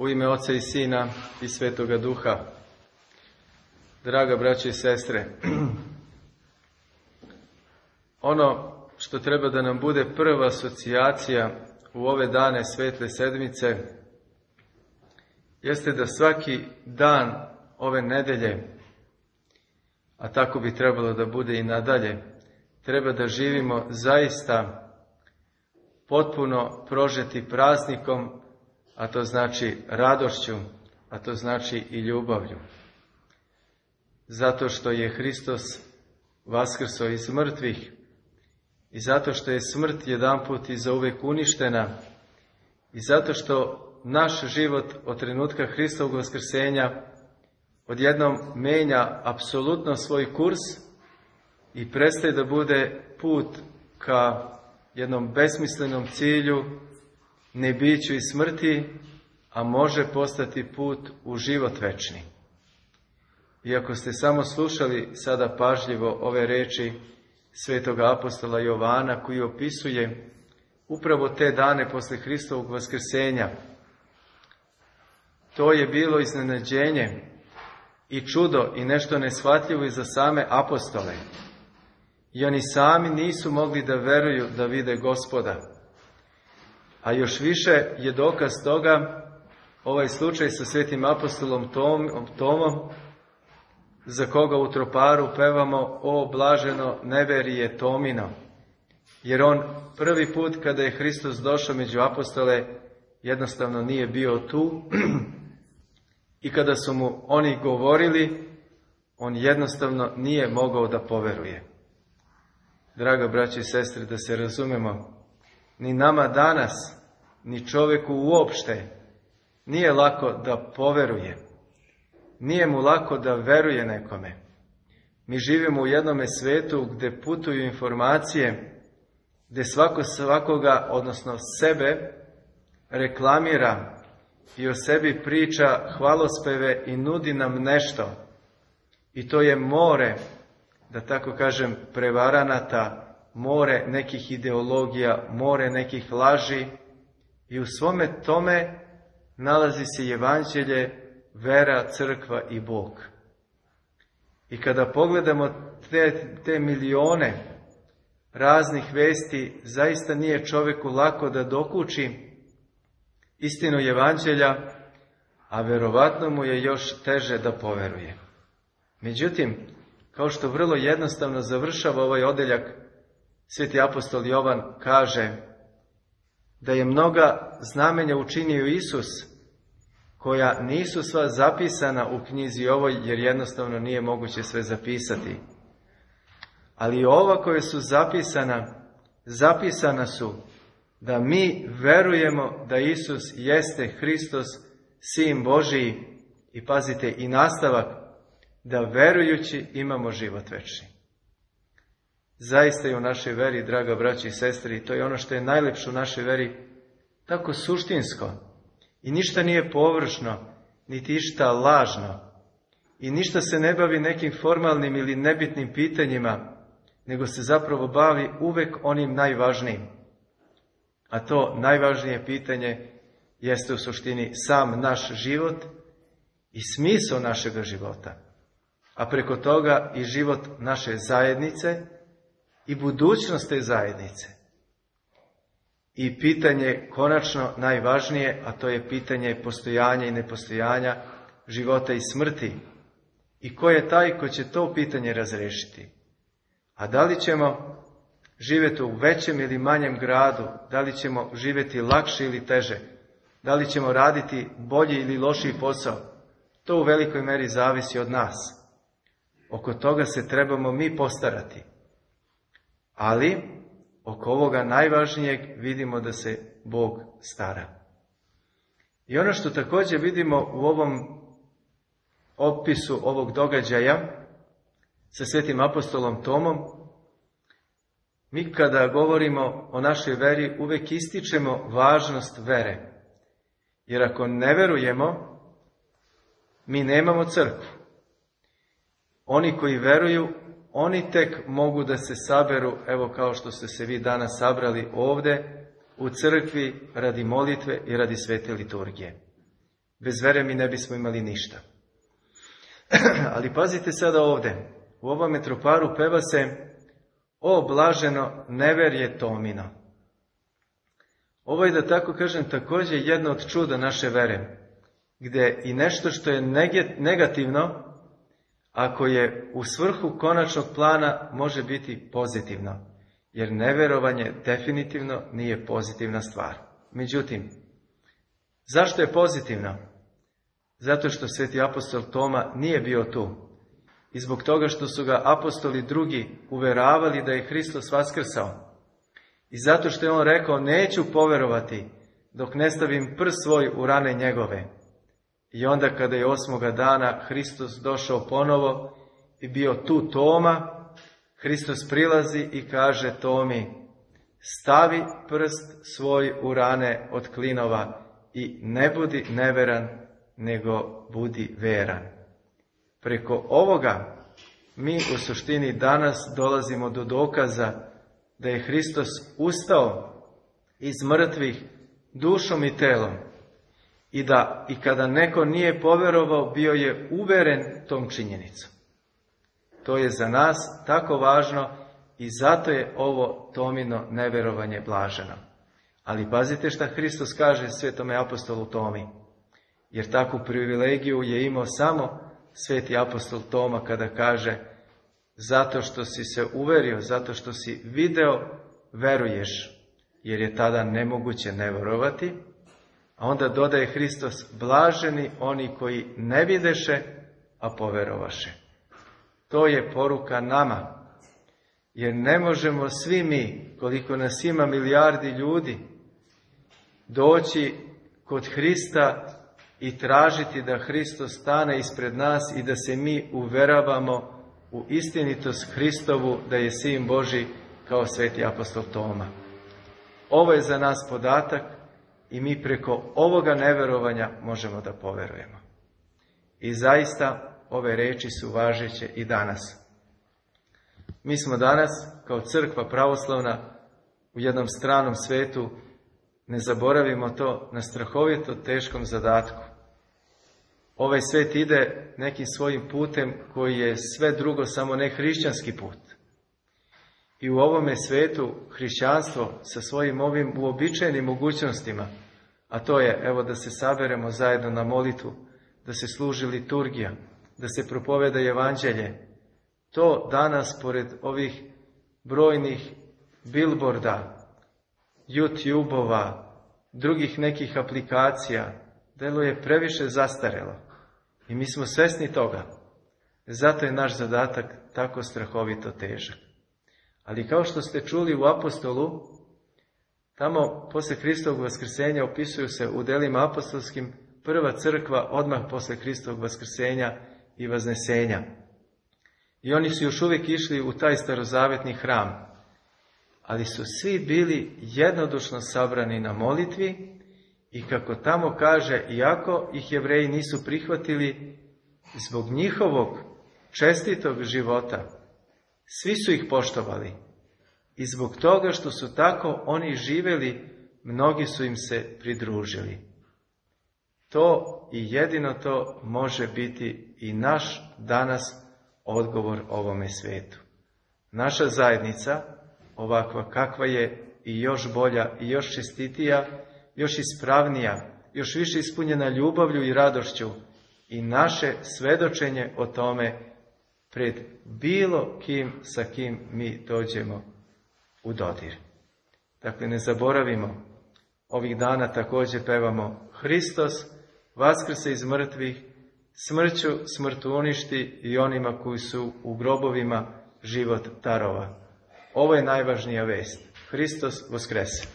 U ime Oca i Sina i Svetoga Duha. Draga braće i sestre, ono što treba da nam bude prva asocijacija u ove dane Svetle sedmice jeste da svaki dan ove nedelje, a tako bi trebalo da bude i nadalje, treba da živimo zaista potpuno prožeti praznikom, a to znači radošću, a to znači i ljubavlju. Zato što je Hristos vaskrso iz mrtvih i zato što je smrt jedanput i zauvek uništena i zato što naš život od trenutka Hristovog vaskrsenja odjednom menja apsolutno svoj kurs i prestaje da bude put ka jednom besmislenom cilju, nebiću i smrti, a može postati put u život večni. Iako ste samo slušali sada pažljivo ove reči svetog apostola Jovana, koji opisuje upravo te dane posle Hristovog vaskrsenja, to je bilo iznenađenje i čudo i nešto neshvatljivo i za same apostole. I oni sami nisu mogli da veruju da vide Gospoda. A još više je dokaz toga ovaj slučaj sa svetim apostolom Tomom, za koga u troparu pevamo O blaženo neverije Tomino. Jer on prvi put kada je Hristos došao među apostole jednostavno nije bio tu i kada su mu oni govorili, on jednostavno nije mogao da poveruje. Draga braće i sestre, da se razumemo, ni nama danas, ni čoveku uopšte nije lako da poveruje. Nije mu lako da veruje nekome. Mi živimo u jednome svetu gde putuju informacije, gde svako svakoga, odnosno sebe, reklamira i o sebi priča hvalospeve i nudi nam nešto. I to je more, da tako kažem, prevaranata, more nekih ideologija, more nekih laži i u svome tome nalazi se evanđelje, vera, crkva i Bog. I kada pogledamo te milione raznih vesti, zaista nije čoveku lako da dokuči istinu evanđelja, a verovatno mu je još teže da poveruje. Međutim, kao što vrlo jednostavno završava ovaj odeljak, sveti apostol Jovan kaže da je mnoga znamenja učinio Isus, koja nisu sva zapisana u knjizi ovoj, jer jednostavno nije moguće sve zapisati. Ali ova koja su zapisana su da mi verujemo da Isus jeste Hristos, Sin Božiji, i pazite i nastavak, da verujući imamo život večni. Zaista je u našoj veri, draga braći i sestri, i to je ono što je najlepše u našoj veri, tako suštinsko. I ništa nije površno, niti išta lažno. I ništa se ne bavi nekim formalnim ili nebitnim pitanjima, nego se zapravo bavi uvek onim najvažnijim. A to najvažnije pitanje jeste u suštini sam naš život i smisao našega života. A preko toga i život naše zajednice i budućnost te zajednice. I pitanje konačno najvažnije, a to je pitanje postojanja i nepostojanja, života i smrti. I ko je taj ko će to pitanje razrešiti? A da li ćemo živjeti u većem ili manjem gradu? Da li ćemo živjeti lakše ili teže? Da li ćemo raditi bolji ili lošiji posao? To u velikoj meri zavisi od nas. Oko toga se trebamo mi postarati. Ali oko ovoga najvažnijeg vidimo da se Bog stara. I ono što također vidimo u ovom opisu ovog događaja sa svetim apostolom Tomom, mi kada govorimo o našoj veri uvek ističemo važnost vere. Jer ako ne verujemo, mi nemamo crkvu. Oni koji veruju, oni tek mogu da se saberu, evo kao što ste se vi danas sabrali ovde, u crkvi radi molitve i radi svete liturgije. Bez vere mi ne bismo imali ništa. Ali pazite sada ovdje. U ovom metroparu peva se: o blaženo neverje Tomino. Ovo je, da tako kažem, također jedno od čuda naše vere, gdje i nešto što je negativno, ako je u svrhu konačnog plana, može biti pozitivno. Jer neverovanje definitivno nije pozitivna stvar. Međutim, zašto je pozitivno? Zato što sveti apostol Toma nije bio tu. I zbog toga što su ga apostoli drugi uveravali da je Hristos vaskrsao. I zato što je on rekao: neću poverovati dok ne stavim prst svoj u rane njegove. I onda kada je 8. dana Hristos došao ponovo i bio tu Toma, Hristos prilazi i kaže Tomi: stavi prst svoj u rane od klinova i ne budi neveran, nego budi veran. Preko ovoga mi u suštini danas dolazimo do dokaza da je Hristos ustao iz mrtvih dušom i telom i da i kada neko nije povjerovao, bio je uveren tom činjenicom. To je za nas tako važno i zato je ovo Tomino neverovanje blaženo. Ali pazite šta Hristos kaže svetome apostolu Tomi, jer takvu privilegiju je imao samo sveti apostol Toma kada kaže: zato što si se uverio, zato što si video, veruješ, jer je tada nemoguće ne verovati. A onda dodaje Hristos: blaženi oni koji ne videše, a poverovaše. To je poruka nama, jer ne možemo svi mi, koliko nas ima milijardi ljudi, doći kod Hrista i tražiti da Hristos stane ispred nas i da se mi uveravamo u istinitost Hristovu, da je Sin Božji, kao sveti apostol Toma. Ovo je za nas podatak i mi preko ovoga neverovanja možemo da poverujemo. I zaista ove reči su važeće i danas. Mi smo danas, kao crkva pravoslavna, u jednom stranom svetu, ne zaboravimo to, na strahovito teškom zadatku. Ovaj svet ide nekim svojim putem koji je sve drugo, samo ne hrišćanski put. I u ovome svetu hrišćanstvo sa svojim ovim uobičajenim mogućnostima, a to je, evo, da se saberemo zajedno na molitvu, da se služi liturgija, da se propoveda evanđelje, to danas, pored ovih brojnih bilborda, YouTube-ova, drugih nekih aplikacija, deluje previše zastarelo. I mi smo svesni toga. Zato je naš zadatak tako strahovito težak. Ali kao što ste čuli u apostolu, tamo posle Hristovog vaskrsenja opisuju se u delima apostolskim prva crkva odmah posle Hristovog vaskrsenja i vaznesenja. I oni su još uvijek išli u taj starozavetni hram. Ali su svi bili jednodušno sabrani na molitvi i kako tamo kaže, iako ih Jevreji nisu prihvatili, zbog njihovog čestitog života, svi su ih poštovali. I zbog toga što su tako oni živjeli, mnogi su im se pridružili. To i jedino to može biti i naš danas odgovor ovome svetu. Naša zajednica, ovakva kakva je, i još bolja, i još čestitija, još ispravnija, još više ispunjena ljubavlju i radošću, i naše svedočenje o tome pred bilo kim sa kim mi dođemo u dodir. Dakle, ne zaboravimo, ovih dana također pevamo: Hristos vaskrse iz mrtvih, smrću smrtu uništi i onima koji su u grobovima život darova. Ovo je najvažnija vest. Hristos vaskrese.